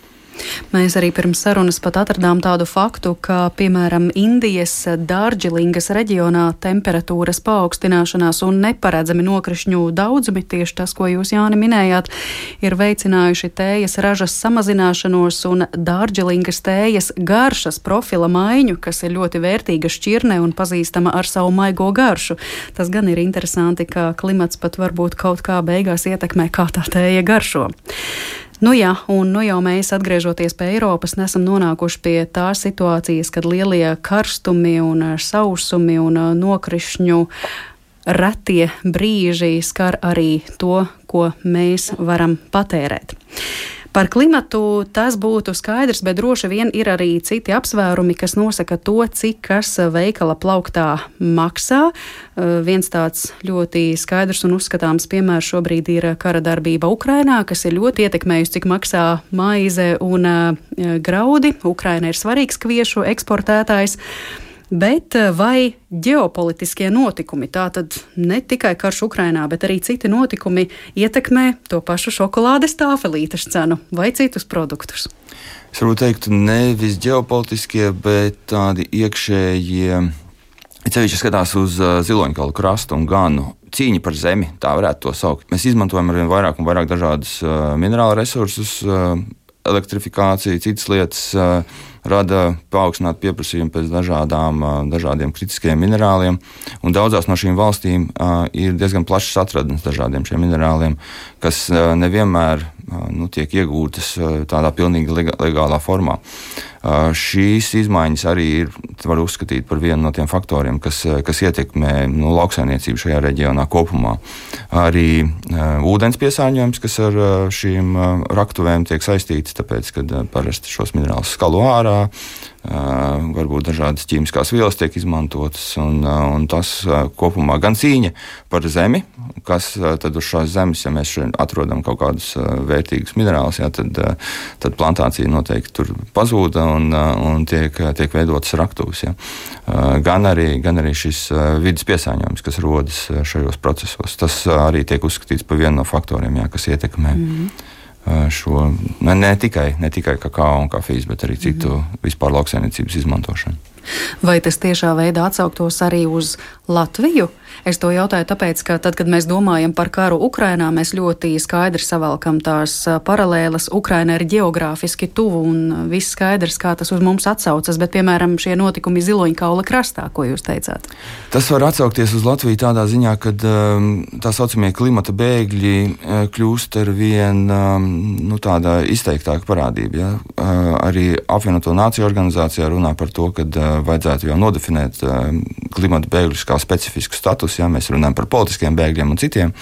Speaker 2: Mēs arī pirms sarunas pat atradām tādu faktu, ka, piemēram, Indijas Dārdžilingas reģionā temperatūras paaugstināšanās un neparedzami nokrišņu daudzumi, tieši tas, ko jūs, Jāni, minējāt, ir veicinājuši tējas ražas samazināšanos un Dārdžilingas tējas garšas profila maiņu, kas ir ļoti vērtīga šķirne un pazīstama ar savu maigo garšu. Tas gan ir interesanti, ka klimats pat varbūt kaut kā beigās ietekmē, kā tā tēja garšo. Nu jā, un nu jau mēs, atgriežoties pie Eiropas, nesam nonākuši pie tās situācijas, kad lielie karstumi un sausumi un nokrišņu retie brīži skar arī to, ko mēs varam patērēt. Par klimatu tas būtu skaidrs, bet droši vien ir arī citi apsvērumi, kas nosaka to, cik kas veikala plauktā maksā. Viens tāds ļoti skaidrs un uzskatāms piemērs šobrīd ir kara darbība Ukrainā, kas ir ļoti ietekmējusi, cik maksā maize un graudi. Ukraina ir svarīgs kviešu eksportētājs. Bet vai ģeopolitiskie notikumi, tātad ne tikai karš Ukrainā, bet arī citi notikumi ietekmē to pašu šokolādes tāfelītes cenu vai citus produktus?
Speaker 5: Es varbūt teiktu nevis ģeopolitiskie, bet tādi iekšējie, cevišķi skatās uz Ziloņkalu krastu un Ganu. Cīņa par zemi, tā varētu to saukt. Mēs izmantojam arvien vairāk un vairāk dažādus minerālu resursus, elektrifikācija, citas lietas rada paaugstinātu pieprasījumu pēc dažādām, dažādiem kritiskajiem minerāliem. Un daudzās no šīm valstīm ir diezgan plašas atradnes dažādiem šiem minerāliem, kas nevienmēr nu, tiek iegūtas tādā pilnīgi legālā formā. Šīs izmaiņas arī ir, var uzskatīt par vienu no tiem faktoriem, kas, kas ietekmē nu, lauksaimniecību šajā reģionā kopumā. Arī uh, ūdens piesārņojums, kas ar uh, šīm uh, raktuvēm tiek saistīts, tāpēc, kad uh, parasti šos minerālus skalo ārā, Uh, varbūt dažādas ķīmiskās vielas tiek izmantotas, un, uh, un tas uh, kopumā gan cīņa par zemi, kas uh, tad uz šās zemes, ja mēs šeit atrodam kaut kādus uh, vērtīgus minerālus, jā, tad, uh, tad plantācija noteikti tur pazūda un, uh, un tiek, tiek veidotas raktuves. Jā. Uh, gan, arī, gan arī šis uh, vidas piesārņojums, kas rodas uh, šajos procesos, tas uh, arī tiek uzskatīts par vienu no faktoriem, jā, kas ietekmē. Mm-hmm. Šo, ne, ne, tikai, ne tikai kakao un kafijas, bet arī citu mm. vispār lauksaimniecības izmantošanu.
Speaker 2: Vai tas tiešā veidā atsauktos arī uz Latviju? Es to jautāju tāpēc, ka tad, kad mēs domājam par karu Ukrainā, mēs ļoti skaidri savalkam tās paralēlas. Ukraina ir ģeogrāfiski tuvu un viss skaidrs, kā tas uz mums atsaucas, bet, piemēram, šie notikumi Ziloņkaula krastā, ko jūs teicāt? Tas
Speaker 5: var atsaukties uz Latviju tādā ziņā, kad tā saucamie klimata bēgļi kļūst ar vien nu, tāda izteiktāka parādība. Ja? Arī apvienoto nāciju organizācijā runā par to, kad vajadzētu jau nodefinēt klimata bēgļus kā specifisku statusu, ja mēs runājam par politiskiem bēgļiem un citiem,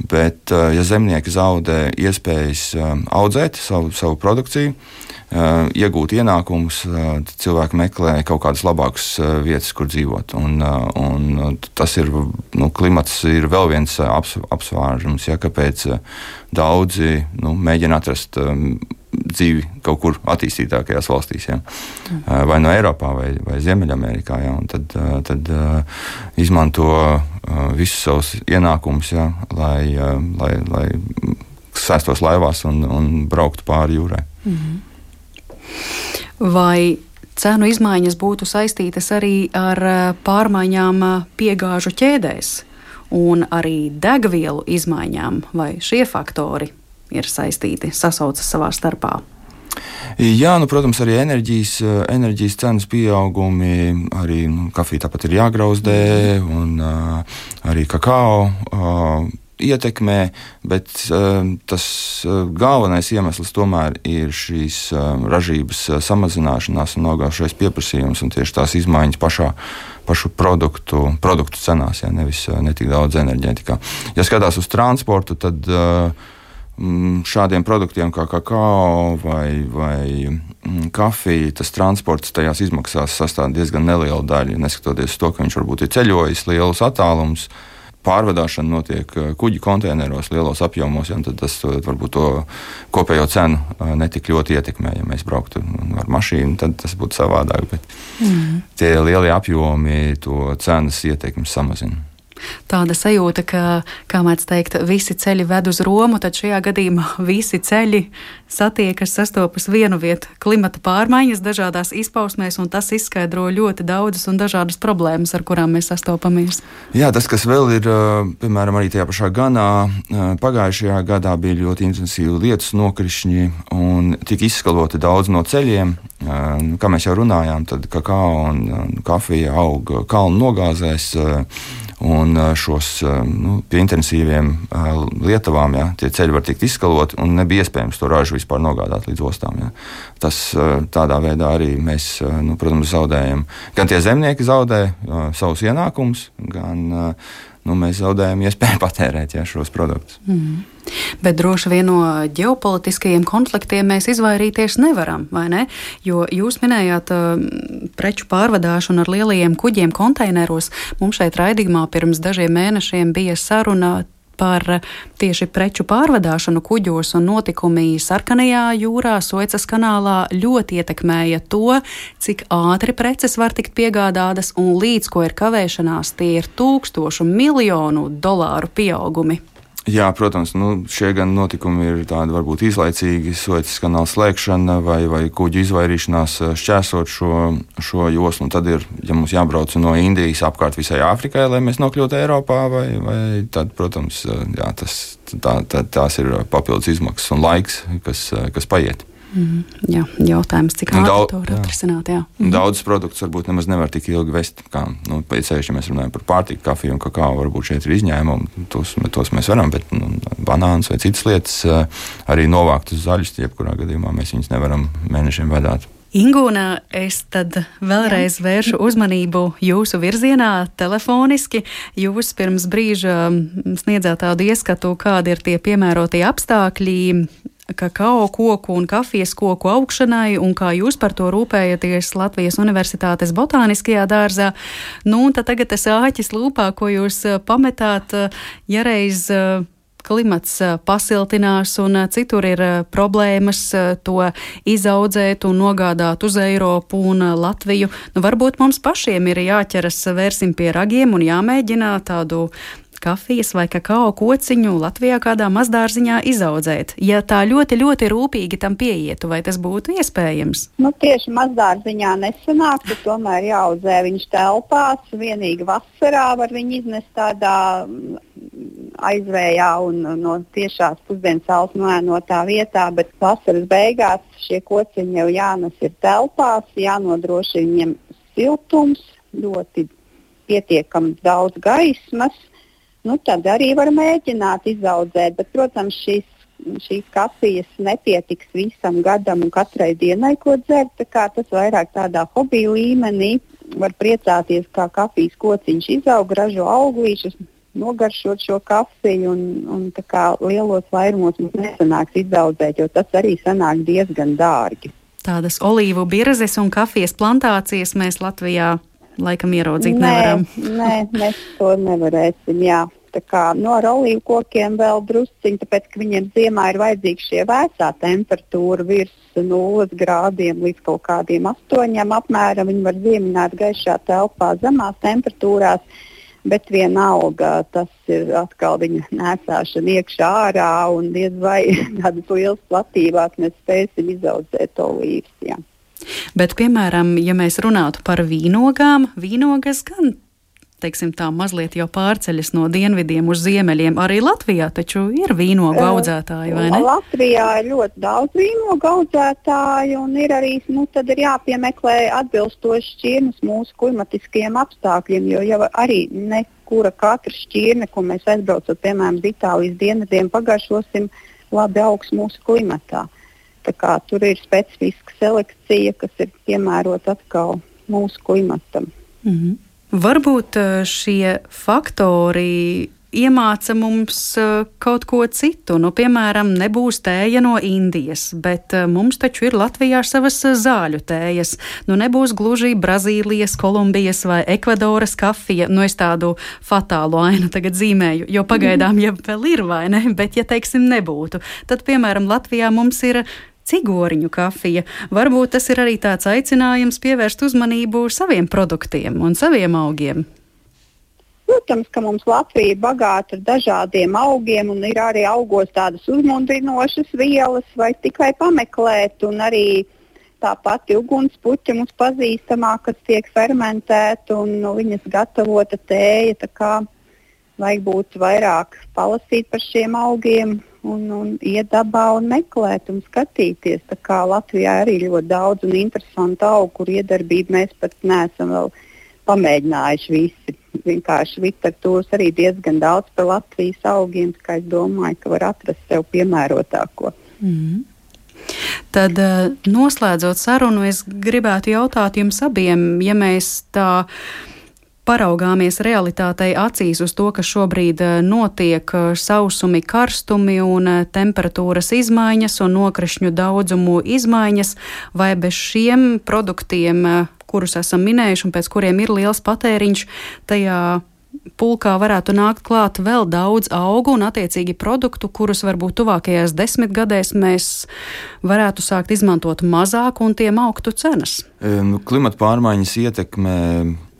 Speaker 5: bet ja zemnieki zaudē iespējas audzēt savu, savu produkciju, iegūt ienākumus, tad cilvēki meklē kaut kādas labākas vietas, kur dzīvot. Un, un tas ir, nu, klimats ir vēl viens aps, apsvērums, ja, kāpēc daudzi nu, mēģina atrast dzīvi kaut kur attīstītākajās valstīs, ja. Vai no Eiropā, vai, vai Ziemeļamerikā, ja. Un tad, tad izmanto visus savus ienākumus, ja, lai, lai, lai sēstos laivās un, un brauktu pāri jūrai.
Speaker 2: Mhm. Vai cenu izmaiņas būtu saistītas arī ar pārmaiņām piegāžu ķēdēs un arī degvielu izmaiņām, vai šie faktori ir saistīti, sasaucas savā starpā?
Speaker 5: Jā, nu, protams, arī enerģijas, enerģijas cenas pieaugumi, arī nu, kafija tāpat ir jāgrauzdē, un uh, arī kakao uh, ietekmē, bet uh, tas uh, galvenais iemesls tomēr ir šīs uh, ražības uh, samazināšanās un augāšais pieprasījums un tieši tās izmaiņas pašā, pašu produktu, produktu cenās, ja, nevis uh, netik daudz enerģētikā. Ja skatās uz transportu, tad uh, šādiem produktiem kā kakao vai, vai kafija, tas transports tajās izmaksās sastāv diezgan nelielu daļu, neskatoties uz to, ka viņš varbūt ir ceļojis lielus attālumus. Pārvadāšana notiek kuģi konteineros lielos apjomos, ja, tad tas varbūt to kopējo cenu netik ļoti ietekmē. Ja mēs brauktu ar mašīnu, tad tas būtu savādāk, bet mm. tie lielie apjomi to cenas ietekmi samazina.
Speaker 2: Tāda sajūta, ka, kā mēdz teikt, visi ceļi ved uz Romu, tad šajā gadījumā visi ceļi satiekas, sastopas vienu vietu. Klimata pārmaiņas dažādās izpausmēs, un tas izskaidro ļoti daudzas un dažādas problēmas, ar kurām mēs sastopamies.
Speaker 5: Jā, tas, kas vēl ir, piemēram, arī tajā pašā Ganā, pagājušajā gadā bija ļoti intensīvi lietus nokrišņi un tika izskaloti daudz no ceļiem. Kā mēs jau runājām, tad kakao un kafija aug kalnu nogāzēs, un šos nu, pie intensīviem lietavām, ja, tie ceļi var tikt izskaloti, un nebija iespējams to ražu vispār nogādāt līdz ostām. Ja. Tas tādā veidā arī mēs, nu, protams, zaudējam. Gan tie zemnieki zaudē uh, savus ienākumus, gan uh, nu, mēs zaudējam iespēju patērēt, ja, šos produktus.
Speaker 2: Mm. Bet droši vien no ģeopolitiskajiem konfliktiem mēs izvairīties nevaram, vai ne? Jo jūs minējāt uh, preču pārvadāšanu ar lielajiem kuģiem konteineros. Mums šeit raidījumā pirms dažiem mēnešiem bija saruna par tieši preču pārvadāšanu kuģos, un notikumi Sarkanajā jūrā, Suecas kanālā ļoti ietekmēja to, cik ātri preces var tikt piegādātas, un līdz ko ir kavēšanās, tie ir tūkstošu miljonu dolāru pieaugumi.
Speaker 5: Jā, protams, nu, šie gan notikumi ir tādi varbūt īslaicīgi, Suecas kanāla slēgšana vai, vai kuģu izvairīšanās šķērsot šo, šo joslu. Un tad ir, ja mums jābrauc no Indijas apkārt visai Āfrikai, lai mēs nokļūtu Eiropā, vai, vai tad, protams, jā, tas, tā, tā, tās ir papildus izmaksas un laiks, kas, kas paiet.
Speaker 2: Mm, jā, jautājums, cik ātri to var atrisināt. Jā.
Speaker 5: Mm. Daudz produktus varbūt nemaz nevar tik ilgi vest, kā, nu, pēc ceļš, ja mēs runājam par pārtiku, kafiju un kakao, varbūt šeit ir izņēmumi, tos, tos mēs varam, bet nu, banāns vai citas lietas arī novākt uz zaļus, jebkurā gadījumā mēs viņus nevaram mēnešiem vedāt.
Speaker 2: Ingūna, es tad vēlreiz vēršu uzmanību jūsu virzienā telefoniski. Jūs pirms brīža sniedzāt tādu ieskatu, kādi ir tie piemērotie apstākļi kakao koku un kafijas koku augšanai, un kā jūs par to rūpējaties Latvijas Universitātes botāniskajā dārzā. Nu, un tad tagad tas āķis lūpā, ko jūs pametāt, ja reiz klimats pasiltinās un citur ir problēmas to izaudzēt un nogādāt uz Eiropu un Latviju. Nu, varbūt mums pašiem ir jāķeras, vērsim pie ragiem un jāmēģina tādu kafijas vai kakao kociņu Latvijā kādā mazdārziņā izaudzēt. Ja tā ļoti, ļoti rūpīgi tam pieietu, vai tas būtu iespējams?
Speaker 6: Nu, tieši mazdārziņā nesanāk, bet tomēr jāaudzē viņš telpās. Vienīgi vasarā var viņu iznest tādā aizvējā un no tiešās pusdienas saules noēnotā vietā, bet vasaras beigās šie kociņi jau jānes ir telpās, jānodrošina viņiem siltums, ļoti pietiekami daudz gaismas. Nu, tad arī var mēģināt izaudzēt, bet, protams, šīs, šīs kafijas nepietiks visam gadam un katrai dienai, ko dzert. Tā kā tas vairāk tādā hobiju līmenī var priecāties, kā kafijas kociņš izaug, ražo auglīšus, nogaršot šo kafiju un, un tā kā lielos vairumos mums nesanāks izaudzēt, jo tas arī sanāk diezgan dārgi.
Speaker 2: Tādas olīvu birzes un kafijas plantācijas mēs Latvijā laikam ieraudzīt
Speaker 6: nē,
Speaker 2: nevaram.
Speaker 6: Nē, mēs to nevarēsim, jā. Tā kā no ar olīvu kokiem vēl drusciņi, tāpēc, ka viņiem ziemā ir vajadzīga šie vēsā temperatūra virs nulles grādiem līdz kaut kādiem astoņiem apmēram. Viņi var ziemināt gaišā telpā zemās temperatūrās, bet vienalga tas ir atkal viņa nēsāšana iekšā ārā un diez vai tādas lielas platībās mēs spēsim izaudzēt olīvas, jā.
Speaker 2: Bet, piemēram, ja mēs runātu par vīnogām, vīnogas gan, teiksim tā, mazliet jau pārceļas no dienvidiem uz ziemeļiem. Arī Latvijā taču ir vīnogu audzētāji, vai ne?
Speaker 6: Latvijā ir ļoti daudz vīnogu audzētāju un ir arī, nu, tad ir jāpiemeklē atbilstoši šķirnes mūsu klimatiskajiem apstākļiem, jo jau arī nekura katra šķirne, ko mēs aizbraucot, piemēram, uz Itālijas dienvidiem, pagaršosim labi augs mūsu klimatā. Tā kā tur ir specifiska selekcija, kas ir piemērota atkal mūsu klimatam.
Speaker 2: Mm-hmm. Varbūt šie faktori iemāca mums kaut ko citu. Nu, piemēram, nebūs tēja no Indijas, bet mums taču ir Latvijā savas zāļu tējas. Nu, nebūs gluži Brazīlijas, Kolumbijas vai Ekvadoras kafija. Nu, es tādu fatālu ainu tagad zīmēju, jo pagaidām jau vēl ir, vai ne? Bet, ja, teiksim, nebūtu, tad, piemēram, Latvijā mums ir cigoriņu kafija. Varbūt tas ir arī tāds aicinājums pievērst uzmanību saviem produktiem un saviem augiem.
Speaker 6: Protams, ka mums Latvija ir bagāta ar dažādiem augiem un ir arī augos tādas uzmundrinošas vielas, vai tikai pameklēt, un arī tā pati ugunspuķa mums pazīstamā, kas tiek fermentēta un no viņas gatavota tēja, tā kā vajag būt vairāk palasīt par šiem augiem un, un iet dabā un meklēt un skatīties. Tā kā Latvijā arī ļoti daudz un interesanti augu, kur iedarbību mēs pat neesam vēl pamēģinājuši visi. Vienkārši literatūras arī diezgan daudz par Latvijas augiem, tā kā es domāju, ka var atrast sev piemērotāko.
Speaker 2: Mm. Tad noslēdzot sarunu, es gribētu jautāt jums abiem, ja mēs tā paraugāmies realitātei acīs uz to, ka šobrīd notiek sausumi, karstumi un temperatūras izmaiņas un nokrišņu daudzumu izmaiņas, vai bez šiem produktiem, kurus esam minējuši un pēc kuriem ir liels patēriņš, tajā pulkā varētu nākt klāt vēl daudz augu un attiecīgi produktu, kurus varbūt tuvākajās desmitgadēs mēs varētu sākt izmantot mazāk un tiem augtu cenas.
Speaker 5: Klimata pārmaiņas ietekmē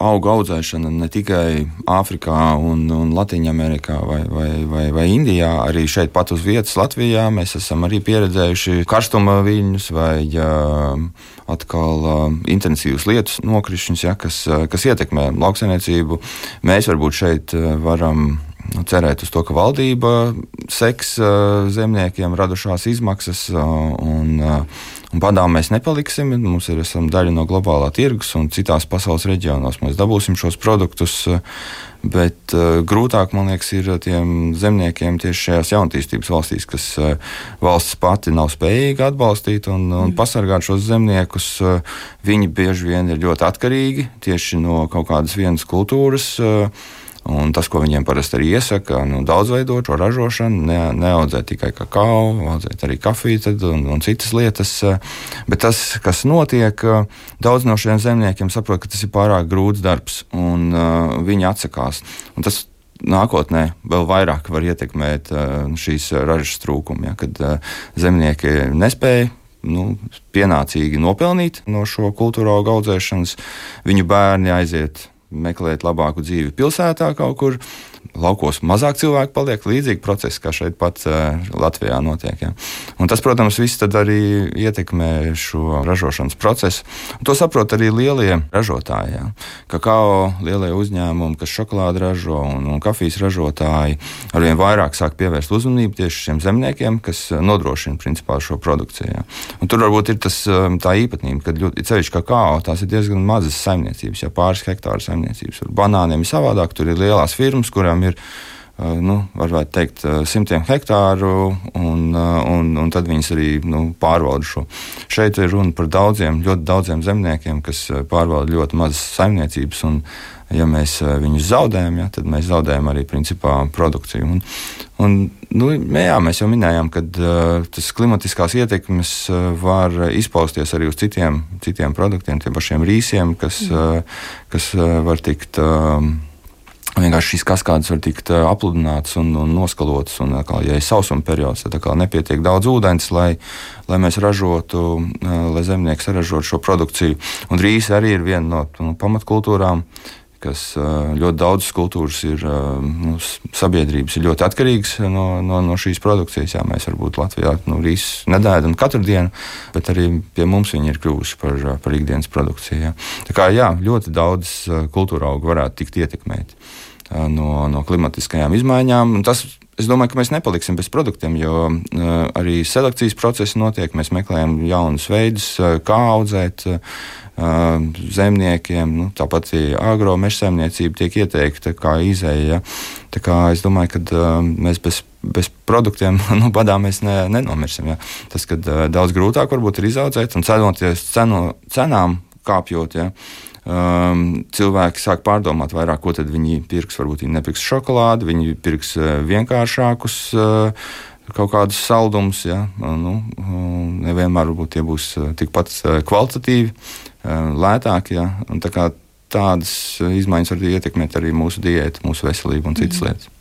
Speaker 5: augu audzēšana ne tikai Āfrikā un, un Latīņamerikā vai, vai, vai, vai Indijā, arī šeit pat uz vietas Latvijā mēs esam arī pieredzējuši karstuma viļņus vai ja, atkal uh, intensīvus lietus nokrišņus, ja, kas, uh, kas ietekmē lauksaimniecību. Mēs varbūt šeit uh, varam cerēt uz to, ka valdība seks uh, zemniekiem radušās izmaksas uh, un, uh, Un badā mēs nepaliksim, mums ir esam daļa no globālā tirgus, un citās pasaules reģionos mēs dabūsim šos produktus. Bet uh, grūtāk, man liekas, ir tiem zemniekiem tieši šajās jaunatīstības valstīs, kas uh, valsts pati nav spējīga atbalstīt un, un pasargāt šos zemniekus. Uh, viņi bieži vien ir ļoti atkarīgi tieši no kaut kādas vienas kultūras. Uh, Un tas, ko viņiem parasti arī iesaka, nu, daudzveidot šo ražošanu, ne, neaudzēt tikai kakao, audzēt arī kafiju un, un citas lietas. Bet tas, kas notiek, daudz no šiem zemniekiem saprot, ka tas ir pārāk grūts darbs, un uh, viņi atsakās. Un tas nākotnē vēl vairāk var ietekmēt uh, šīs ražas trūkumu, ja, kad uh, zemnieki nespēja nu, pienācīgi nopelnīt no šo kultūra augu audzēšanas, viņu bērni aiziet meklēt labāku dzīvi pilsētā kaut kur. Laukos mazāk cilvēku paliek, līdzīgi procesi, kā šeit pat uh, Latvijā notiek. Ja. Un tas, protams, viss tad arī ietekmē šo ražošanas procesu. Un to saprot arī lielie ražotāji. Ja. Kakao lielie uzņēmumi, kas šokolādi ražo un, un kafijas ražotāji, arvien vairāk sāk pievērst uzmanību tieši šiem zemniekiem, kas nodrošina principā šo produkciju. Ja. Un tur varbūt ir tas, tā īpatnība, ka ļoti ceļš kakao, tās ir diezgan mazas saimniecības, ja pāris hektāru saimniecības. Ar banāniem ir savādāk, tur ir lielās firmas, kurām ir, nu, varētu teikt, simtiem hektāru, un, un, un tad viņas arī nu, pārvalda šo. Šeit ir runa par daudziem, ļoti daudziem zemniekiem, kas pārvalda ļoti mazas saimniecības, un ja mēs viņus zaudējam, ja, tad mēs zaudējam arī principā produkciju. Un, un, nu, jā, mēs jau minējām, ka uh, tas klimatiskās ietekmes uh, var izpausties arī uz citiem, citiem produktiem, tiem pašiem rīsiem, kas, uh, kas uh, var tikt... Uh, Vienkārši šīs kaskādes var tikt apludinātas un, un noskalotas. Un, kā, ja ir sausuma periods, tad kā, nepietiek daudz ūdens, lai, lai mēs ražotu, lai zemnieks saražotu šo produkciju. Un rīsi arī ir viena no, no pamatkultūrām, kas ļoti daudzas kultūras ir, nu, sabiedrības ir ļoti atkarīgas no, no, no šīs produkcijas. Jā, mēs varbūt Latvijā nu, rīsus nedēdam katru dienu, bet arī pie mums viņi ir kļuvuši par, par ikdienas produkciju. Jā. Tā kā jā, ļoti daudz kultūra augu varētu tikt ietekmēti no, no klimatiskajām izmaiņām. Un tas, es domāju, ka mēs nepaliksim bez produktiem, jo uh, arī selekcijas procesi notiek. Mēs meklējam jaunus veidus, uh, kā audzēt uh, zemniekiem. Nu, tāpat agro mežsaimniecība tiek ieteikta kā izēja. Ja. Tā kā es domāju, ka uh, mēs bez, bez produktiem nu, badā mēs ne, nenomirsim. Ja. Tas, kad uh, daudz grūtāk varbūt ir izaudzēt un cenoties cenu, cenām kāpjot, ja. Um, cilvēki sāk pārdomāt vairāk, ko tad viņi pirks. Varbūt viņi nepirks šokolādi, viņi pirks uh, vienkāršākus uh, kaut kādus saldumus. Ja? Uh, nu, uh, nevienmēr varbūt tie būs uh, tikpat uh, kvalitatīvi, uh, lētāki. Ja? Un tā kā tādas uh, izmaiņas var ietekmēt arī mūsu diētu, mūsu veselību un citas mm. lietas.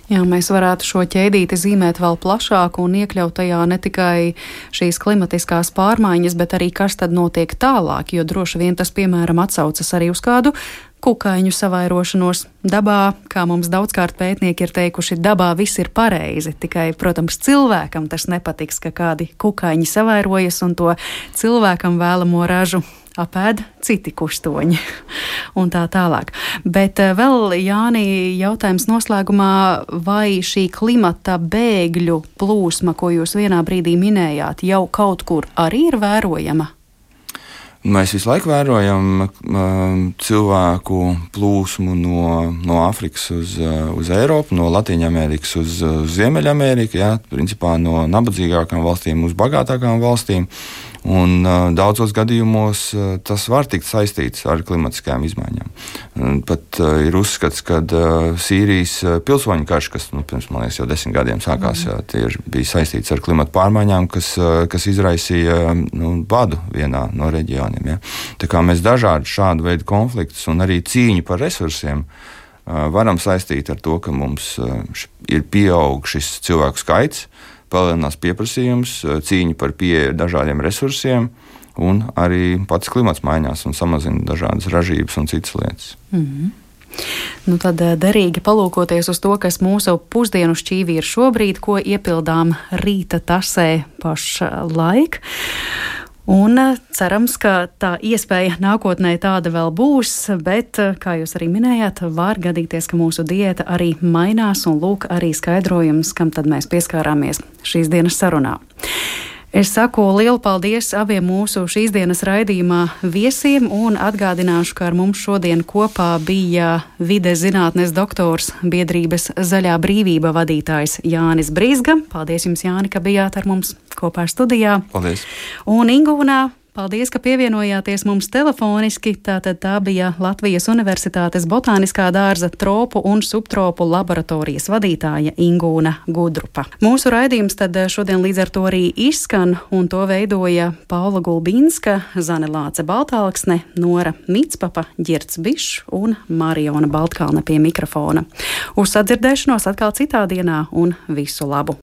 Speaker 2: Jā, mēs varētu šo ķēdīti zīmēt vēl plašāk un iekļaut tajā ne tikai šīs klimatiskās pārmaiņas, bet arī kas tad notiek tālāk, jo droši vien tas, piemēram, atsaucas arī uz kādu kukaiņu savairošanos dabā, kā mums daudzkārt pētnieki ir teikuši, dabā viss ir pareizi, tikai, protams, cilvēkam tas nepatiks, ka kādi kukaiņi savairojas un to cilvēkam vēlamo ražu apēd citi kustoņi un tā tālāk. Bet vēl, Jāni, jautājums noslēgumā, vai šī klimata bēgļu plūsma, ko jūs vienā brīdī minējāt, jau kaut kur arī ir vērojama?
Speaker 5: Mēs visu laiku vērojam um, cilvēku plūsmu no, no Āfrikas uz, uz Eiropu, no Latīņamerikas uz, uz Ziemeļameriku, jā, principā no nabadzīgākām valstīm uz bagātākām valstīm. Un uh, daudzos gadījumos uh, tas var tikt saistīts ar klimatiskajām izmaiņām. Un pat uh, ir uzskats, ka uh, Sīrijas uh, pilsoņu karš, kas nu, pirms, man liekas, jau desmit gadiem sākās, mm. jā, tie bija saistīts ar klimatu pārmaiņām, kas, uh, kas izraisīja uh, nu, badu vienā no reģioniem. Ja. Tā kā mēs dažādi šādu veidu konfliktus un arī cīņu par resursiem uh, varam saistīt ar to, ka mums uh, ir pieaug šis cilvēku skaits, palielinās pieprasījums, cīņa par pieeju dažādiem resursiem, un arī pats klimats mainās un samazina dažādas ražības un citas lietas.
Speaker 2: Mm-hmm. Nu tad derīgi palūkoties uz to, kas mūsu pusdienu šķīvī ir šobrīd, ko iepildām rīta tasē pašlaik. Un cerams, ka tā iespēja nākotnē tāda vēl būs, bet, kā jūs arī minējāt, var gadīties, ka mūsu diēta arī mainās, un lūk arī skaidrojums, kam tad mēs pieskārāmies šīs dienas sarunā. Es saku lielu paldies abiem mūsu šīs dienas raidījumā viesiem un atgādināšu, ka ar mums šodien kopā bija vides zinātnes doktors, biedrības Zaļā brīvība vadītājs Jānis Brīzga. Paldies jums, Jāni, ka bijāt ar mums kopā studijā.
Speaker 5: Paldies.
Speaker 2: Un Ingūnā, paldies, ka pievienojāties mums telefoniski. Tātad tā bija Latvijas Universitātes botāniskā dārza tropu un subtropu laboratorijas vadītāja Ingūna Gudrupa. Mūsu raidījums tad šodien līdz ar to arī izskan, un to veidoja Paula Gulbinska, Zane Lāce Baltāksne, Nora Mitspapa, Ģirds Bišs un Mariona Baltkalne pie mikrofona. Uz sadzirdēšanos atkal citā dienā un visu labu!